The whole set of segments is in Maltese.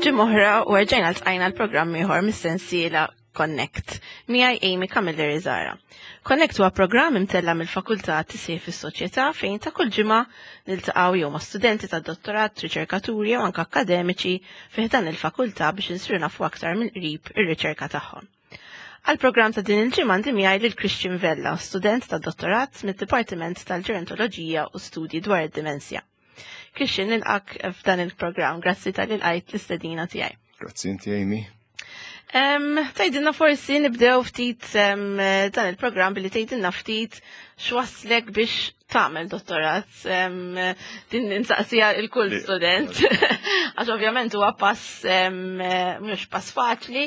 Ġimgħa oħra u rġajna ltqajna l-programm ieħor mis-sensiela Connect. Miegħi Amy Camilleri Zara. Connect huwa programm imtella mill-Fakultà Tisih fis-Soċjetà fejn ta' kull ġimgħa niltaqgħu jew ma' studenti tad-dottorat, riċerkaturi jew anke akkademiċi fih dan il-fakultà biex insiru nafu aktar mill-qrib ir-riċerka tagħhom. Għal-programm ta' din il-ġimgħa għandi miegħi lil Christian Vella, student tad-dottorat mid-Dipartiment tal-Ġerontoloġija u Studji dwar id-Dimensja. Christian, nilqak f'dan il-programm, grazzi tal lqajt l-istedina tiegħi. Grazzi inti, Amy. Tgħidilna forsi nibdew ftit dan il-programm billi tgħidilna ftit x'waslek biex tagħmel dottorat. Din insaqsija il-kull student. Għax ovvjament huwa pass mhux pass faċli,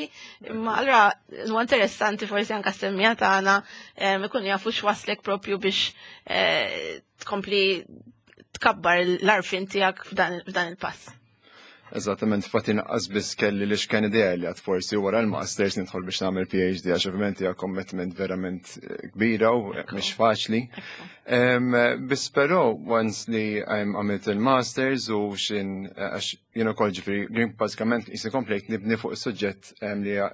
imma allura huwa interessanti forsi anke semmija tagħna ikun jafu x'waslek propju biex eh, tkompli tkabbar l-arfin tiegħek f'dan il-pass. Eżattament, fatti naqqas biss kelli li x'kien idea li għad forsi wara l-masters nidħol biex nagħmel PhD għax ovvjament hija commitment verament eh, kbira u mhix faċli. Biss però once li għamilt il-masters u xin eh, għax jien ukoll ġifieri bażikament jisni komplejt nibni fuq is-suġġett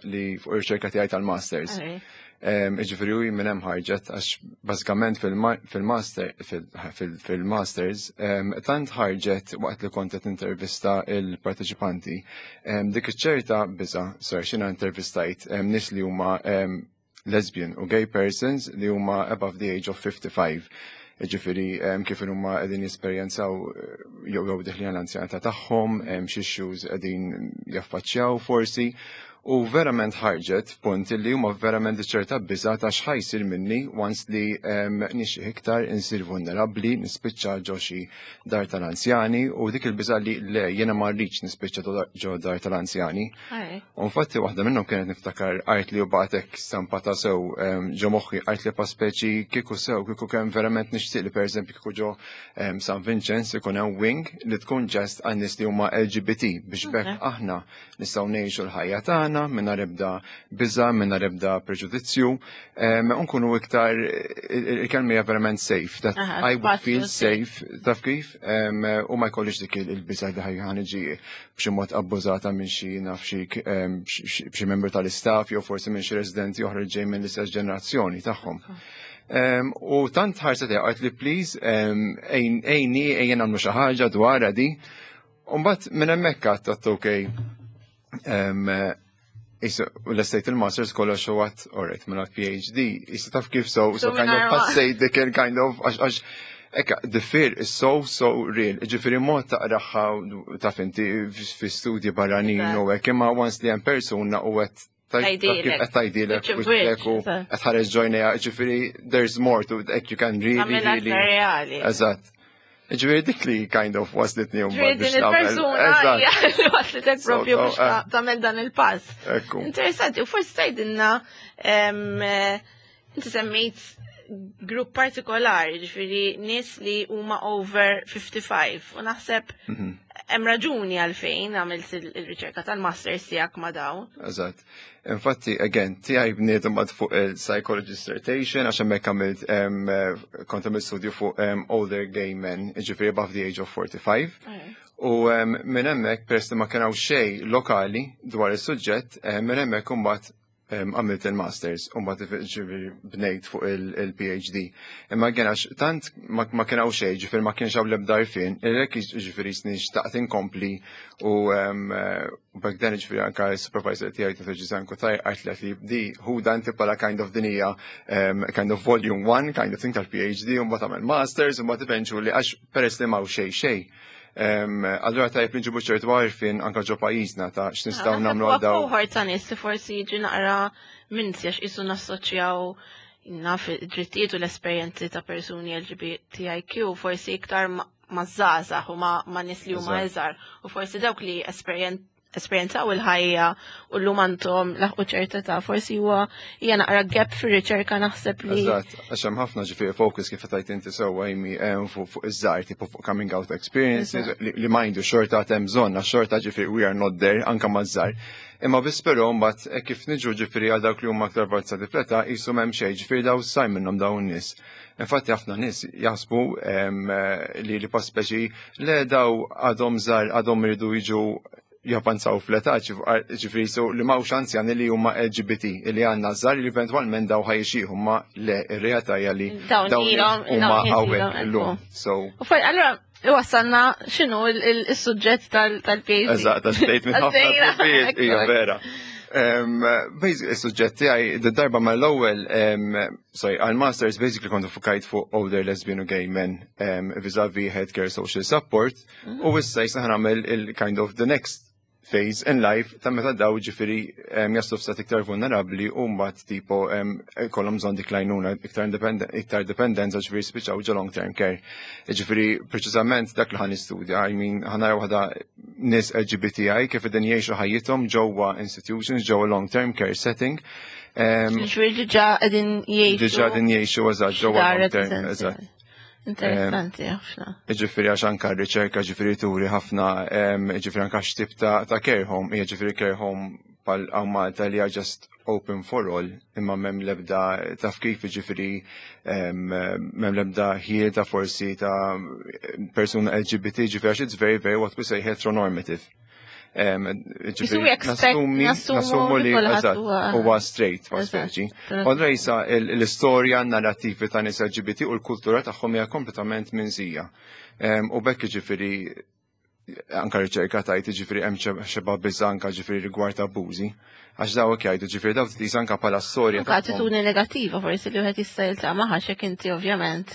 li fuq ir-riċerka tiegħi tal-masters. Iġifieri u minn hemm ħarġet għax bażikament fil-master fil-masters tant ħarġet waqt li kont qed intervista il-parteċipanti dik iċ-ċerta biża' sar xina intervistajt nies li huma lesbian u gay persons li huma above the age of 55. Ġifieri kif huma qegħdin jesperjenzaw eh, jew jew deħlin l-anzjanità tagħhom, xi issues qegħdin jaffaċċjaw forsi. U verament ħarġet punt li huma verament ċerta biża ta' x'ħajsir minni once li nixxi iktar insir vulnerabbli, nispiċċa ġo xi dar tal-anzjani u dik il-biża li le jiena ma rridx nispiċċa ġo dar tal-anzjani. U infatti waħda minnhom kienet niftakar art li u bagħtek stampa ta' sew ġo moħħi art li pa speċi kieku sew kieku kemm verament nixtieq li pereżempju kieku ġo San Vincenz ikun hemm wing li tkun ġest għan nies li huma LGBT biex bekk aħna nistgħu ngħixu l-ħajja tagħna mingħajr ebda biża, mingħajr ebda preġudizzju, nkunu iktar il-kelma hija verament safe, that I would feel safe, taf kif, u ma jkollix dik il-biża li ħajja ħaniġi b'xi mod abbużata minn xi naf xi b'xi membru tal-istaff jew forsi minn xi residenti oħra ġej minn l-istess ġenerazzjoni tagħhom. U tant ħarset għajt li please ejni ejjen nagħmlu xi ħaġa dwar di. Umbat minn hemmhekk għadt okej. U l-estate il-masters kollox u għat, alright, minn għat PhD, jista taf kif so, so kind of passej dik kind of, għax, ekka, the fear is so, so real. Ġifiri mod taqraħħa taf inti fi studji barranin u hekk, imma once li hemm persuna u għet Tgħidilek. Tgħidilek u qed ħareġ ġojnija, ġifieri there's more to it, you can really really. Reali. Eżatt. Ġifieri dik li kind of waslitni un Ġifieri din il-persuna li waslitek propju biex eh. tagħmel dan il-pass. Interessanti, u forsi tgħidilna eh, inti semmejt grupp partikolari, ġifieri nies li huma over 55 u naħseb mhm. hemm raġuni għalfejn għamilt il-riċerka tal-masters tiegħek ma' dawn. Eżatt. Infatti, again, tiegħi bniet imbagħad fuq il-psychology dissertation għax hemmhekk għamilt kont għamilt studju fuq older gay men, ġifieri above the age of 45. U minn hemmhekk peress li ma kien hawn xejn lokali dwar is-suġġett, minn hemmhekk imbagħad għamilt il-masters u mbagħad ġifieri bnejt fuq il-PhD. Imma għen għax tant ma kien hawn xejn, ġifieri ma kienx hawn l-ebda għarfien, irrek ġifieri snin xtaqt inkompli u back then ġifieri anka s-supervisor tiegħi ta' Ġizan Kutaj qalt li di hu dan bħala kind of dinija kind of volume one kind of thing tal-PhD u mbagħad għamel masters u mbagħad eventually għax peress li m'hawn xejn xejn. Allura tajjeb li nġibu ċertu għarfien anka ġo pajjiżna ta' x'nistgħu nagħmlu għal dawn. Cohort ta' nies li forsi jiġi naqra minn għax qisu nassoċjaw naf id-drittijiet u l-esperjenzi ta' persuni LGBTIQ forsi iktar ma' żgħażagħ u ma' nies li huma iżgħar u forsi dawk li esperjenzaw il-ħajja u llum għandhom laħqu ċerta ta' forsi huwa hija naqra gap fir-riċerka naħseb li. Eżatt, għax hemm ħafna ġifieri focus kif tajt inti sewwa Amy fuq iż-żgħar tipo fuq coming out experiences li majndu xorta hemm bżonn għax xorta ġifieri we are not there anke maż-żgħar. Imma biss però mbagħad hekk kif niġu ġifieri għal dawk li huma aktar avvanzati fl-età qisu m'hemm xejn ġifieri daw saj minnhom dawn nies. Infatti ħafna nies jaħsbu li li pa speċi le daw għadhom żgħar għadhom iridu jiġu. Javvanzaw fl-età, ġifieri so li m'hawnx anzjani li huma LGBT li għandna żgħar li eventwalment daw ħa jixjieħu, ma le, ir-realtà hija li dawn huma hawnhekk illum. So U allura wasalna x'inhu il-suġġett tal-PhD. Eżatt, għax bdejt minn ħafna, hija vera. Basically, il-suġġett tiegħi darba mal-ewwel, sorry, għal-masters basically kont fukajt fuq older lesbian u gay men vis-a-vis healthcare social support u issa jisa nagħmel il-kind of the next phase in life ta' meta daw ġifieri jaslu f'stat iktar vulnerabli u mbagħad tipo kollhom bżonn dik l-għajnuna iktar iktar dipendenza, ġifieri spiċċaw ġo long term care. Ġifieri preċiżament dak li ħa nistudja, I mean, ħa nara waħda nies LGBTI kif qegħdin jgħixu ħajjithom ġewwa institutions, ġewwa long term care setting. Ġifieri diġà qegħdin jgħixu. Diġà qegħdin jgħixu, eżatt, ġewwa dar long term, residenzjali. Eżatt. Interessanti ħafna. Ġifieri għax anka r-riċerka ġifieri turi ħafna, ġifieri anka x'tip ta' care home, hija ġifieri care home bħal hawn Malta li hija just open for all, imma m'hemm lebda, taf kif, ġifieri m'hemm lebda ħjiel ta' forsi ta' persuna LGBT, ġifieri għax it's very, very what we say heteronormative. Ġifieri nassumi nassumu li li kulħadd huwa straight pa' speċi. Allura jisa l-istorja narrativi ta' nies LGBT u l-kultura tagħhom hija kompletament minsija. U bekk ġifieri anka riċerka tajt ġifieri hemm xeba biża anka ġifieri rigward abbużi. Għax dawk jgħidu ġifieri dawk tqis anka bħala storja Anka tagħhom. attitudni negattiva forsi li wieħed jista' jiltaqa' magħha x'hekk inti ovvjament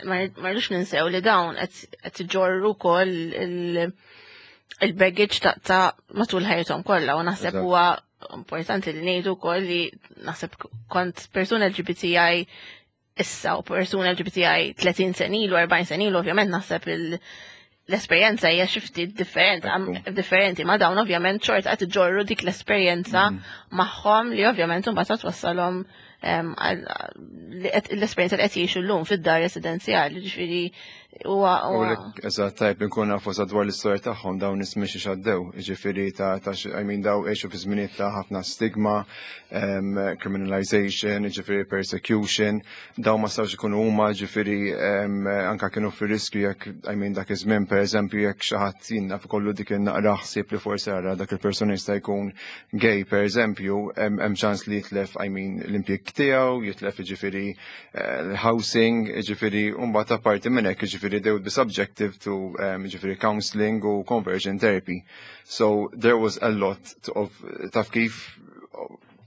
ma rridux ninsew li dawn qed iġorru wkoll il-baggage ta' matul ħajjithom kollha u naħseb huwa importanti li ngħidu wkoll li naħseb kont persuna LGBTI issa u persuna LGBTI 30 sena ilu, 40 sena ilu, ovvjament naħseb l-esperjenza hija xi ftit differenti, differenti, ma dawn ovvjament xorta qed iġorru dik l-esperjenza magħhom li ovvjament imbagħad twassalhom l-esperjenza li qed jgħixu llum fid-dar residenzjali, ġifieri huwa U eżatt, tajb nkun nafu sa dwar l-istorja tagħhom dawn nies mhix għaddew, ġifieri ta' I mean, daw għexu fi żminijiet ta' ħafna stigma, criminalization, ġifieri persecution, daw ma stawx ikunu huma, ġifieri anka kienu fir-riskju jekk, I mean, dak iż-żmien, pereżempju, jekk xi ħadd jinna kollu dik in-naqra ħsieb li forsi ara dak il-persuna jista' jkun gay, pereżempju, hemm ċans li jitlef, I mean, l-impjieg tiegħu, jitlef ġifieri l-housing, ġifieri u mbagħad apparti minn hekk ġifieri they would be subjective to ġifieri counseling u conversion therapy. So there was a lot of, taf kif,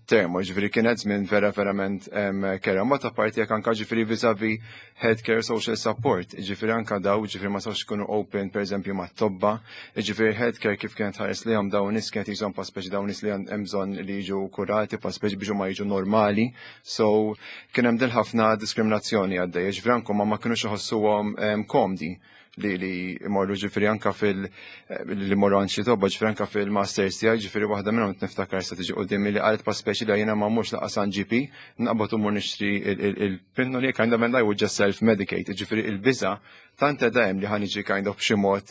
termo, ġifieri kienet żmien vera verament kera. Ma ta' parti jekk anka ġifieri vis-a-vis healthcare social support, ġifieri anka daw ġifieri ma sawx ikunu open, per eżempju, ma' tobba, ġifieri healthcare kif kienet ħares li dawn nies kienet jizom pa' speċi dawn nies li hemm bżonn li jiġu kurati pa' speċi biex ma jiġu normali. So kien hemm din ħafna diskriminazzjoni għaddej, ġifieri anke ma kinux iħossuhom komdi li imorru ġifieri anka fil li morru għand xi tobba, ġifieri anka fil-masters tiegħi, ġifieri waħda minnhom niftakar sa tiġi qudiemi li qalet pa' speċi li jiena ma mmurx lanqas għand GP, naqbad u mmur nixtri il-pinnoli, kind of, and I would just self-medicate, ġifieri il-biża tant hemm li ħa niġi kind of b'xi mod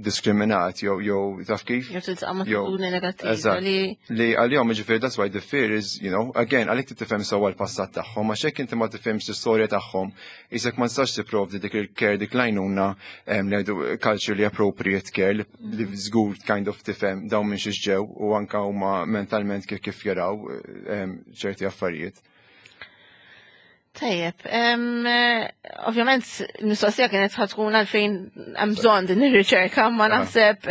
diskriminat jew taf kif. Jew tiltaqa' ma' attitudni negattiva li Li għal-jom ġifieri that's why the fear is, again, għalik tifhem sewwa l-passat tagħhom, għax hekk inti ma tifhimx l-istorja tagħhom, isek ma tistax tipprovdi dik il-care, dik l-għajnuna, li ngħidu culturally appropriate care li żgur kind of tifhem dawn minn xiex ġew u anka huma mentalment kif jaraw ċerti affarijiet. Tajjeb, ovvjament il-mistoqsija kienet ħa tkun għalfejn hemm bżonn din ir-riċerka, ma naħseb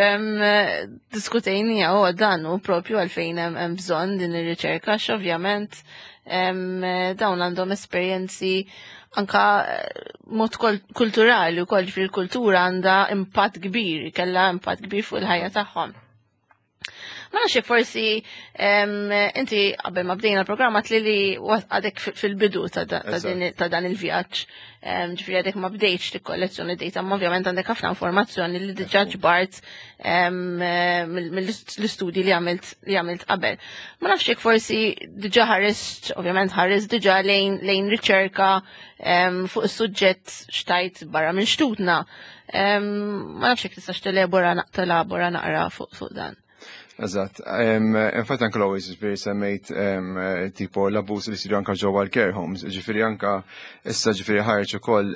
diskutejnija u dan hu propju għalfejn hemm bżonn din ir-riċerka, għax ovvjament dawn għandhom esperjenzi anka mod kulturali wkoll, fil-kultura għandha impatt kbir, kellha impatt kbir fuq il-ħajja tagħhom. Ma nafx forsi inti qabel ma bdejna l-programma tli li għadek fil-bidu ta' dan il-vjaġġ. Ġifieri għadek ma bdejtx tikkollezzjoni data, ma ovvjament għandek ħafna informazzjoni li diġà ġbart mill-istudji li għamilt qabel. Ma nafx jekk forsi diġà ħarist, ovvjament ħarist diġà lejn riċerka fuq is-suġġett xtajt barra minn xtutna. Ma nafx jekk tistax telabora naqra fuq dan. Eżatt. Infatti anke l-always, ġifieri, semmejt tipo l-abbuż li jsiru anke ġewwa l-care homes. Ġifieri anke issa, ġifieri, ħareġ ukoll,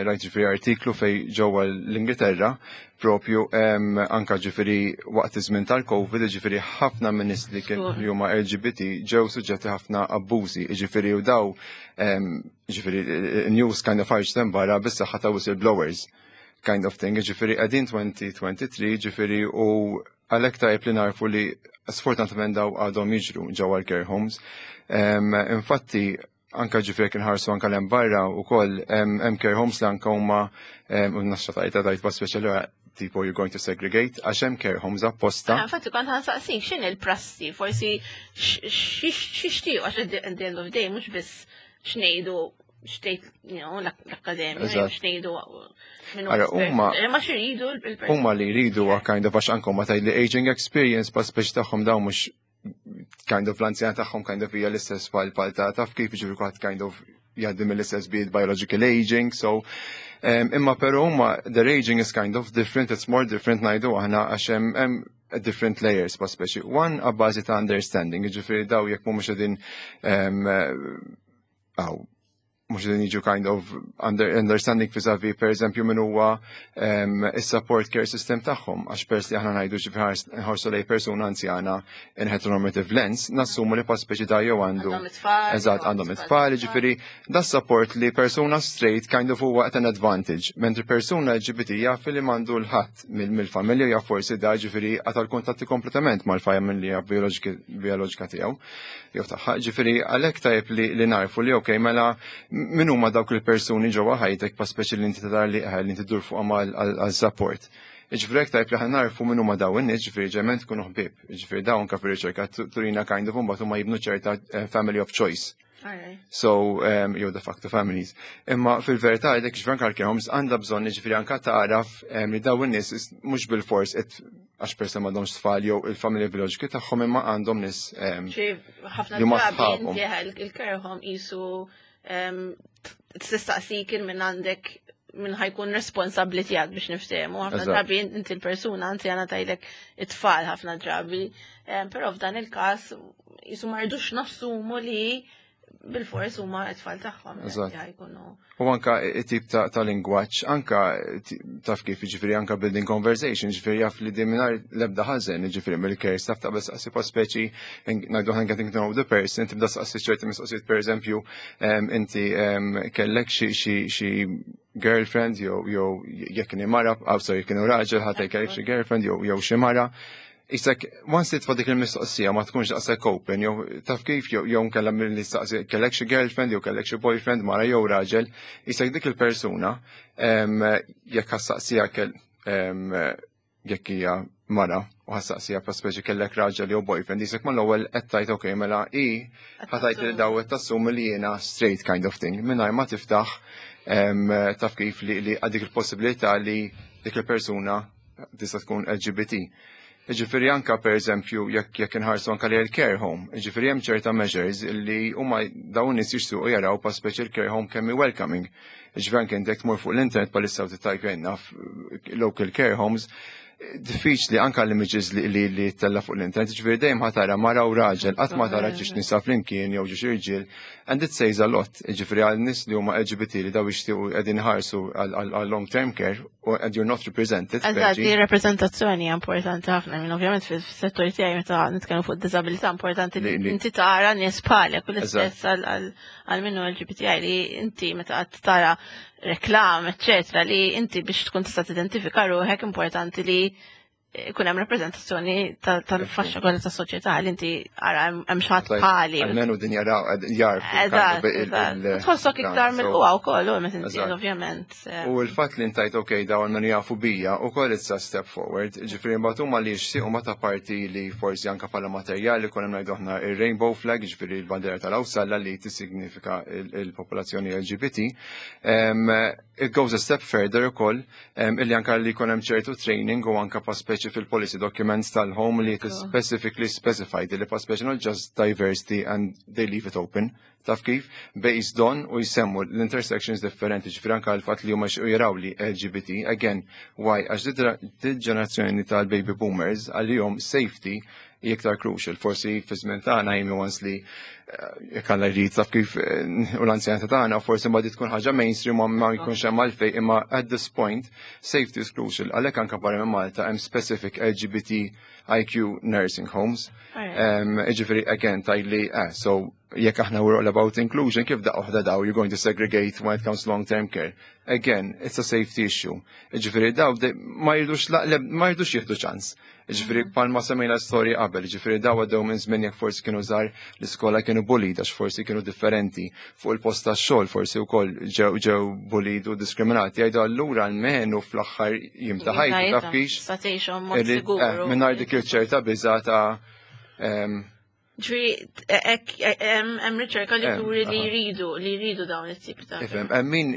rajt, ġifieri, artiklu fej ġewwa l-Ingilterra propju, anka, ġifieri, waqt iż-żmien tal-Covid, ġifieri, ħafna minn nies li kien li huma LGBT ġew suġġetti ħafna abbużi, ġifieri, u daw, ġifieri, news kind of ħarġ barra bis-saħħa ta' whistleblowers kind of thing, ġifieri qegħdin 2023, ġifieri, u għalhekk tajb li narfu li sfortunatament daw għadhom jiġru ġewwa l-care homes. Infatti, anka, ġifieri, kien ħarsu anka l barra u koll hemm care homes li anka huma u naxxa tajta tajt pa speċjali tipo you're going to segregate, għax hemm care homes apposta. Ah, infatti kont ħa nsaqsik x'inhi l-prassi, forsi x'ixtiequ, għax at the end of the day mhux biss x'ngħidu, xtejt l-akkademja, x'ngħidu minnu Ara, ma x'iridu il-persuni. Huma li jridu huwa kind of, għax anke ma tgħid li aging experience pa speċi tagħhom dawn mhux kind of l-anzjan tagħhom kind of hija l-istess pal ta' taf kif, ġifieri, kulħadd kind of jgħaddi mill-istess bid biological aging, so imma però huma their aging is kind of different, it's more different, ngħidu aħna, għax hemm different layers pa speċi. One, għabbażi ta' understanding, ġifieri daw jekk mhumiex qegħdin għaw mux din jiġu kind of understanding vis-a-vis, per eżempju, min huwa is-support care system tagħhom, għax pers li aħna ngħidu, ġifieri, nħarsu lej persuna anzjana in heteronormative lens, nassumu li pa speċi da jew għandu Għandhom it-tfal, Eżatt, jew għandhom it-tfal, ġifieri da support li persuna straight kind of huwa at an advantage, mentri persuna LGBT jaf li m'għandu l-ħadd mill-familja, jaf forsi da, ġifieri, qata' l-kuntatti kompletament mal-familja bioloġika tiegħu jew tagħha. Ġifieri għalhekk tajjeb li narfu li okej, mela min huma dawk il-persuni ġewwa ħajtek pa speċi li inti tara li inti dur fuqhom għal support. Ġifieri hekk tajjeb li ħa narfu min huma dawn in-nies, ġifieri ġement tkunu ħbieb. Ġifieri dawn anke fir-riċerka turina kind of mbagħad huma jibnu ċerta family of choice. So, jew de facto families. Imma fil-verità dik, ġifieri, anke l-care homes għandha bżonn, ġifieri, anke tagħraf li dawn in-nies mhux bil-fors għax persa m'għandhomx tfal jew il-familja bioloġiki tagħhom, imma għandhom nies Xi ħafna li huma drabi sħabhom. inti il-care home jisu tistaqsik minn għandek minn ħa jkun responsabli tiegħek biex niftehmu. Ħafna drabi inti l-persuna anzjana tgħidlek it-tfal ħafna drabi. Però f'dan il-każ jisu ma rridux nassumu li bil-fors huma t-tfal tagħhom. Jkunu. U anka it-tip ta' lingwaġġ, anka taf kif, ġifieri, anka building conversation, ġifieri, jaf li din mingħajr l-ebda ħażen, ġifieri, mill-care staff ta' bes saqsi pa speċi, ngħidu ħan getting to know the person, tibda saqsi ċerti mistoqsijiet, per eżempju, inti kellek xi girlfriend jew jekk kien mara, oh, sorry, jekk kienu raġel, ħadd kellek xi girlfriend jew xi mara. Isek, once titfa' dik il-mistoqsija ma tkunx daqshekk open, jew taf kif, jew nkella mill staqsi kellek xi girlfriend jew kellek xi boyfriend, mara jew raġel, isek dik il-persuna jekk ħa ssaqsiha jekk hija mara u ħa ssaqsiha pa speċi kellek raġel jew boyfriend, isek mal-ewwel qed tgħid okej, mela i ħa tgħid li daw qed tassumi li jiena straight kind of thing, mingħajr ma tiftaħ taf kif li għad dik il-possibilità li dik il-persuna tista' tkun LGBT. Ġifieri anka, per eżempju, jekk inħarsu anka li l-care home, ġifieri, hemm ċerta measures li huma dawn nies jixtiequ jaraw pa speċi l-care home kemm hi welcoming. Ġifieri anke intek tmur fuq l-internet palissa u tittajpja naf local care homes, diffiċli anka l-images li tella fuq l-internet, ġifieri dejjem ħa tara mara u raġel, qatt ma tara ġiex nisa flimkien jew ġiex irġiel, and it says a lot, ġifieri, għal nies li huma LGBT li daw jixtiequ qegħdin ħarsu għal long term care and you're not represented. Eżatt, di rappresentazzjoni hija importanti ħafna, minn ovvjament fis-settur tiegħi meta nitkellmu fuq disabilità importanti li inti tara nies bħalek u l-istess għal minnu LGBTI, li inti meta qed tara reklam, eccetera, li inti biex tkun tista' tidentifika ruħek importanti li ikun hemm rappreżentazzjoni tal-faxxa kollha tas-soċjetà li inti ara hemm xi ħadd bħali. Almenu din jaraw, jarfu. Eżatt. Tħossok iktar mill-qwa wkoll, u meta inti ovvjament. U l-fatt li intajt ok, dawn almenu jafu bija u koll it's a step forward. Ġifieri mbagħad huma li jixtiequ ma ta' parti li forsi anka bħala materjali kun hemm, ngħidu aħna, ir-rainbow flag, ġifieri l-bandiera tal-Awsalla li tissignifika il-popolazzjoni LGBT. It goes a step further ukoll illi anka li jkun hemm ċertu training u anka pa speċi speċi fil-policy documents tal-home li it is specifically specified li pa speċi not just diversity and they leave it open. Taf kif? Based on u jsemmu l-intersections differenti, ġifieri anka l-fatt li huma jaraw li LGBT, again, why? Għax dit ġenerazzjoni tal-baby boomers għalihom safety hija iktar crucial. Forsi fi żmien tagħna jimi once li jekk Alla jrid, taf kif, u l-anzjanità tagħna forsi ma tkun ħaġa mainstream ma jkunx hemm għalfejn, imma at this point safety is crucial. Għalhekk anke barra minn Malta hemm specific LGBTIQ nursing homes. Ġifieri again tajli, so jekk aħna we're all about inclusion, kif daqqa waħda daw you're going to segregate when it comes to long-term care? Again, it's a safety issue. Ġifieri daw ma jridux jieħdu ċans. Ġifieri palma semmejna storja qabel, ġifieri daw għaddew minn żmien jekk forsi kienu żgħar l-iskola kienu bullied għax forsi kienu differenti, fuq il-post tax-xogħol forsi wkoll ġew bullied u diskriminati. Jgħidu allura almenu fl-aħħar jiem ta' ħajti, taf kif? Sa tgħixhom mod sigur. Mingħajr dik il-ċerta biża ta' Ġifieri, hemm riċerka li turi li jridu dawn it-tip ta' Ifhem, hemm min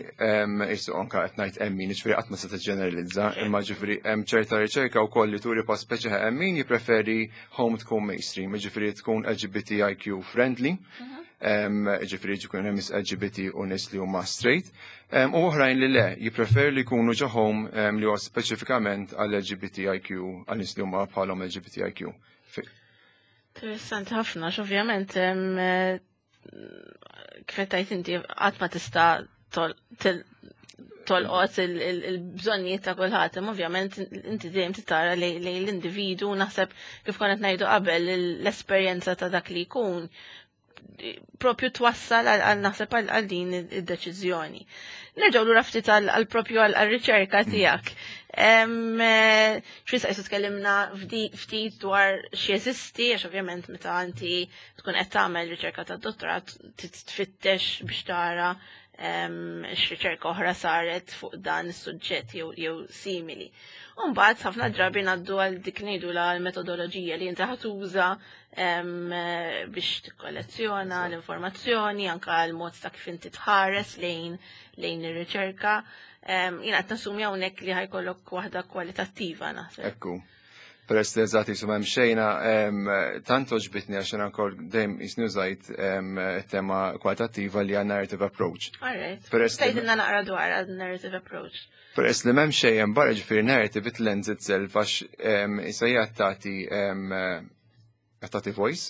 isu anka qed ngħid hemm min, ġifieri qatt ma se tiġġeneralizza, imma ġifieri hemm ċerta riċerka wkoll li turi pa speċi hemm min jippreferi home tkun mainstream, ġifieri tkun LGBTIQ friendly, ġifieri ġikun hemm LGBT u nies li huma straight, u oħrajn li le, jippreferi li jkunu ġo home li huwa speċifikament għal LGBTIQ, għal nies li huma bħalhom LGBTIQ. Interessanti ħafna, ovvjament, kif tajt inti qatt ma tista' tolqot il-bżonnijiet ta' kulħadd, imma ovvjament inti dejjem tara li l-individu, naħseb kif konna ngħidu qabel, l-esperjenza ta' dak li jkun propju twassal għal naħseb għal din id-deċiżjoni. Nerġgħu lura ftit għal propju għal riċerka tiegħek. X'issa jisu tkellimna ftit dwar x'jeżisti, għax ovvjament meta inti tkun qed tagħmel riċerka ta' dottorat titfittex biex tara x'riċerka oħra saret fuq dan is-suġġett jew simili. Mbagħad ħafna drabi ngħaddu għal dik ngħidu la l-metodoloġija li inti ħatuża biex tikkollezzjona l-informazzjoni, anka l-mod ta' kif inti tħares lejn ir-riċerka. Jiena qed nassumi hawnhekk li ħa jkollok waħda kwalitattiva, naħseb. Ekku. Peress li eżatt jisu hemm xejna, tant oġbitni għax jiena wkoll dejjem jisni użajt tema kwalitattiva li għan narrative approach. Alright. Tgħidilna naqra dwar għal narrative approach. Peress li m'hemm xejn hemm barra, ġifieri narrative, it lends itself għax issa hija tagħti voice.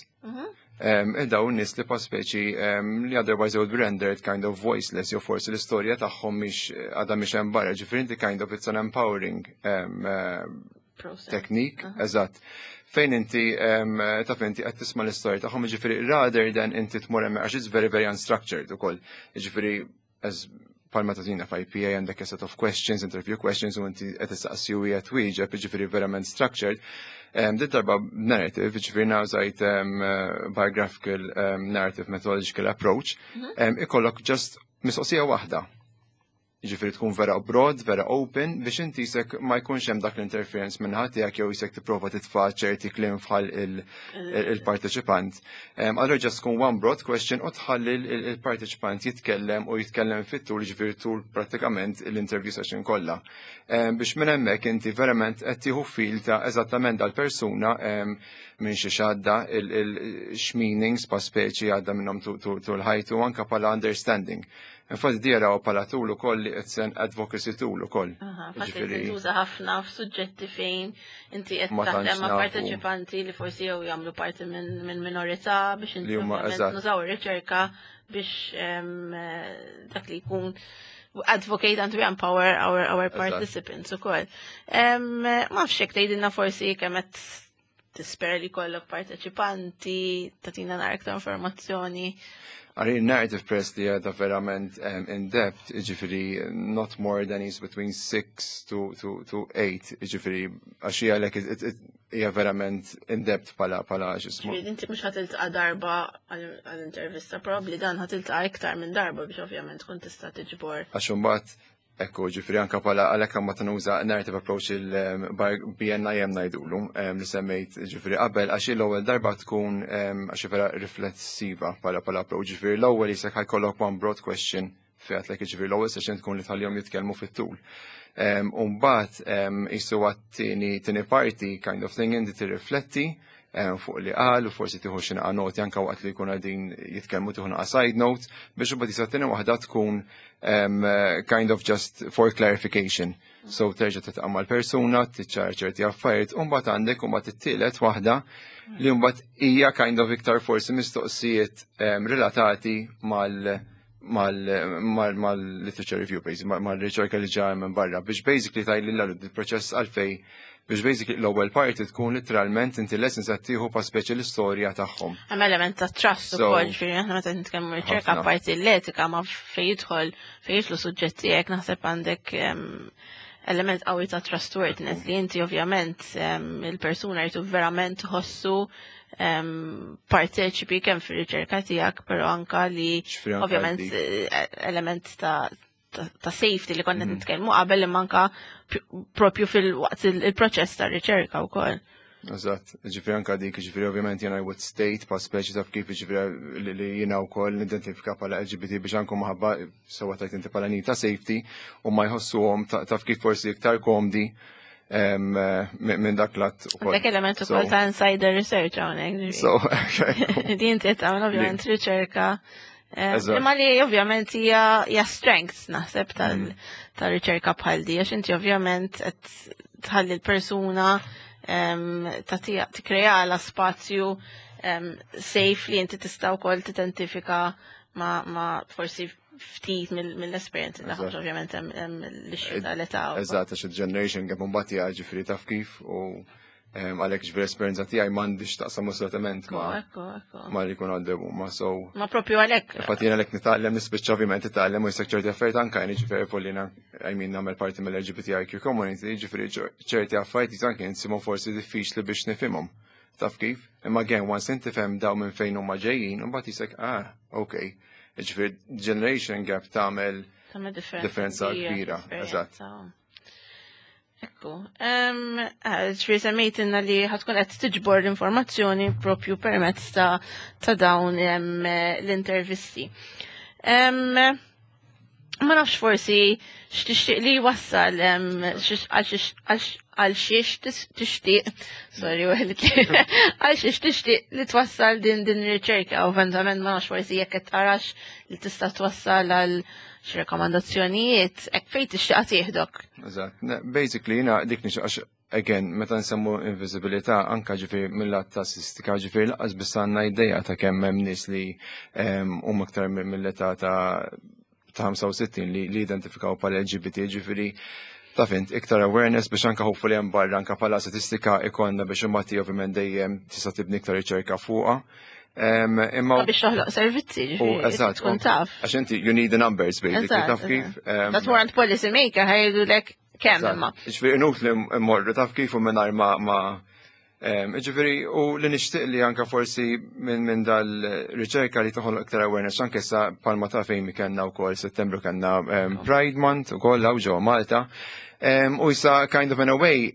Dawn nies li pa speċi li otherwise they would be rendered kind of voiceless jew forsi l-istorja tagħhom mhix għadha mhix hemm barra, ġifieri inti kind of it's an empowering process. Technique, eżatt. Fejn inti taf inti qed tisma' l-istorja tagħhom, ġifieri rather than inti tmur hemm għax it's very very unstructured ukoll. Ġifieri as palma ta' f'IPA għandek a set of questions, interview questions, u inti qed tistaqsi u qed twieġeb, ġifieri verament structured. Dit darba narrative, ġifieri użajt biographical narrative methodological approach, ikollok just mistoqsija waħda. Ġifieri tkun vera broad, vera open, biex inti jisek ma jkunx hemm dak l-interference minn ħadd tiegħek jew jisek tipprova titfa' ċerti kliem bħal il-parteċipant. Allura just tkun one broad question u tħalli il-parteċipant jitkellem u jitkellem fit-tul, ġifieri tul prattikament l-interview session kollha. Biex minn hemmhekk inti verament qed tieħu feel ta' eżattament dal-persuna minn xi xadda il-x'meanings pa' speċi għadda minnhom tul ħajtu anka bħala understanding. Infatti di jaraw bħala tool ukoll li it's an advocacy tool ukoll. Fatt li tintuża ħafna f'suġġetti fejn inti qed Ma tantx taħdem ma' nafu. parteċipanti li forsi jew jagħmlu parti minn minorità biex inti Li huma ovvjament nużaw ir-riċerka biex dak li jkun advocate and to empower our participants ukoll. Ma nafx hekk tgħidilna forsi kemm qed tispera li jkollok parteċipanti, tagħtina naqra aktar informazzjoni. Għari narrative press li għadha verament in depth, ġifiri not more than is between 6 to 8, ġifiri għax hija like hija verament in depth pala ġismu. Ġifiri, inti mhux ħa tiltaqa' darba għall-intervista, probabbli dan ħa tiltaqa' iktar minn darba biex ovvjament tkun tista' tiġbor. Għax imbagħad, ekku, ġifiri anka pala għalhekk ma tanuża narrative approach il-BNIM ngħidulu, li semmejt ġifiri qabel, għax l-ewwel darba tkun għax vera riflessiva pala approach, ġifiri l-ewwel jisek ħa jkollok one broad question. Fejn għedtlek, ġifieri l-ewwel session tkun li tħallihom jitkellmu fit-tul. U mbagħad qisu għat-tieni tieni parti kind of thing inti tirrifletti fuq li qal u forsi tieħu xi naqa' noti anke waqt li jkun qegħdin jitkellmu, tieħu naqa' side note biex imbagħad jisa tieni waħda tkun kind of just for clarification. So terġa' tiltaqa' mal-persuna, tiċċara ċerti affarijiet, u mbagħad għandek u mbagħad it-tielet waħda li mbagħad hija kind of iktar forsi mistoqsijiet relatati mal-literature review, basically, mal-riċerka li ġa minn barra, biex basically tajli l-proċess għalfej, biex basically l-ewwel parti tkun literalment inti lessons qed tieħu pa speċi l-istorja tagħhom. Hemm element ta' trust ukoll, ġifieri aħna meta nitkellmu riċerka, parti l-etika, ma fejn jidħol fejn jidħlu suġġetti hekk, naħseb għandek element qawwi ta' trustworthiness li inti ovvjament il-persuna jridu verament tħossu parteċipi kemm fir-riċerka tiegħek, però anka li ovvjament element ta' safety li konna nitkellmu qabel, imma anka propju fil-waqt il-proċess ta' riċerka wkoll. Eżatt, ġifieri anka dik, ġifieri ovvjament jena I would state pa speċi taf kif, ġifieri li jena u koll nidentifika pala LGBT biex anku maħabba sewa tajt inti pala ta' safety u ma jħossuhom taf kif forsi iktar komdi minn dak lat ukoll. Dak element ukoll ta' insider research hawnhekk. So, din qed tagħmel ovvjament riċerka. Imma li ovvjament hija strengths naħseb tal-riċerka bħal di, għax inti ovvjament qed tħalli l-persuna tagħtiha, tikkreala spazju safe li inti tista' wkoll tidentifika ma forsi ftit mill-esperjenzi tagħhom, ovvjament hemm l-issue tal-età. Eżatt, għax il-generation gap mbagħad hija, ġifieri taf kif, u għalhekk ġifieri esperjenza tiegħi m'għandix taqsam assolutament ma li jkun għaddew huma. So Ma propju għalhekk. Infatti jiena għalhekk nitgħallem, nispiċċa ovvjament titgħallem u jisek ċerti affarijiet anke jien, ġifieri fuq I mean, nagħmel parti mill-LGBTIQ community, ġifieri ċerti affarijiet anke nsimhom forsi diffiċli biex nifhimhom. Taf kif? Imma again, once inti fhem daw minn fejn huma ġejjin, imbagħad jisek, ah, okay. Ġifieri generation gap tagħmel differenza kbira. Eżatt. Ekku, ġifieri semmejtinna li ħa tkun qed tiġbor l-informazzjoni propju permezz ta' dawn l-intervisti. Ma nafx forsi x'tixtieq li wassal għal xiex tixtieq, sorry, għal xiex tixtieq li twassal din riċerka, u eventualment ma nafx forsi jekk qed tarax li tista' twassal għal xi rekomandazzjonijiet, hekk fejn tixtieq tieħdok. Eżatt, basically jiena dik nixtieq għax again, meta nsemmu invisibilità, anka ġifieri mill-lat ta' statistika, ġifieri lanqas biss għandna idea ta' kemm hemm nies li huma aktar mill-età ta' 65 li identifikaw pal LGBT, ġifieri taf int iktar awareness biex anka hopefully hemm barra anka pala statistika ikonna biex imbagħad ovvjament dejjem tista' tibni iktar riċerka fuqha. Imma biex toħloq servizzi, eżatt, tkun taf. Għax inti you need the numbers basically, taf kif. That warrant policy maker ħa jgħidulek kemm imma. Ġifieri inutli mmorru taf kif u mingħajr ma ġifieri u li nixtieq li anka forsi minn dal-riċerka li toħloq iktar awareness anke sa palma ta' fejn kellna wkoll Settembru kellna Pride Month ukoll hawn ġewwa Malta. U issa kind of in a way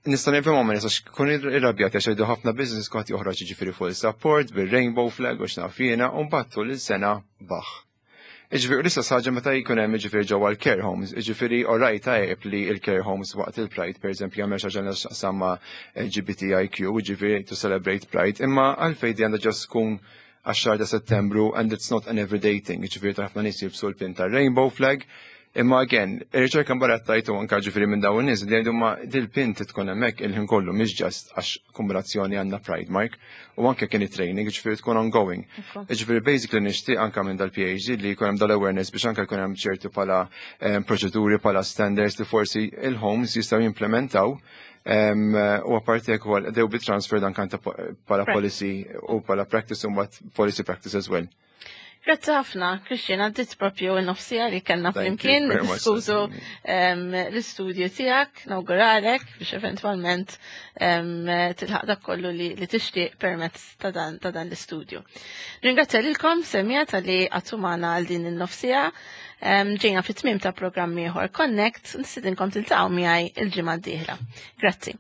nista' nifhimhom, ma nistax kun irrabjat għax jgħidu ħafna business kwaħt joħroġ ġifieri full support bir-rainbow flag u x'naf jiena, u mbagħad tul il-sena baħ. Iġifieri l-istess ħaġa meta jkun hemm ġifieri ġewwa l-care homes, ġifieri alright, tajjeb li l-care homes waqt il-Pride pereżempju jagħmel xi ħaġa x'taqsam ma' LGBTIQ, ġifieri to celebrate Pride, imma għalfejn di għandha just tkun għax-xahar ta' Settembru and it's not an everyday thing, ġifieri ta' ħafna nies jilbsu l-pin ta' rainbow flag? Imma again, ir-riċerka mbagħad tajtu anka ġifieri minn dawn in-nies li jgħidu ma dil-pin tkun hemmhekk il-ħin kollu, mhix just għax kombinazzjoni għandna Pride Mark, u anke kien training, ġifieri tkun ongoing. Ġifieri basically nixtieq anka minn dal-PhD li jkun hemm dal-awareness biex anke jkun hemm ċertu pala proċeduri, pala standards li forsi il-homes jistgħu jimplementaw. U apparti hekk ukoll they will be transferred anke pala policy u pala practice u mbagħad policy practice as well. Grazzi ħafna, Christian, għaddit propju n-nofsija li kellna flimkien diskutu l-istudju tiegħek, nawguralek biex eventwalment tilħaq dak kollu li tixtieq permezz ta' dan l-istudju. Ringrazzja lilkom semija tal-li għattumana għal din il-nofsija. Ġejna fit-tmim ta' programm ieħor Connect, nistidinkom tiltaqgħu miegħi il-ġimgħa d-dieħla. Grazzi.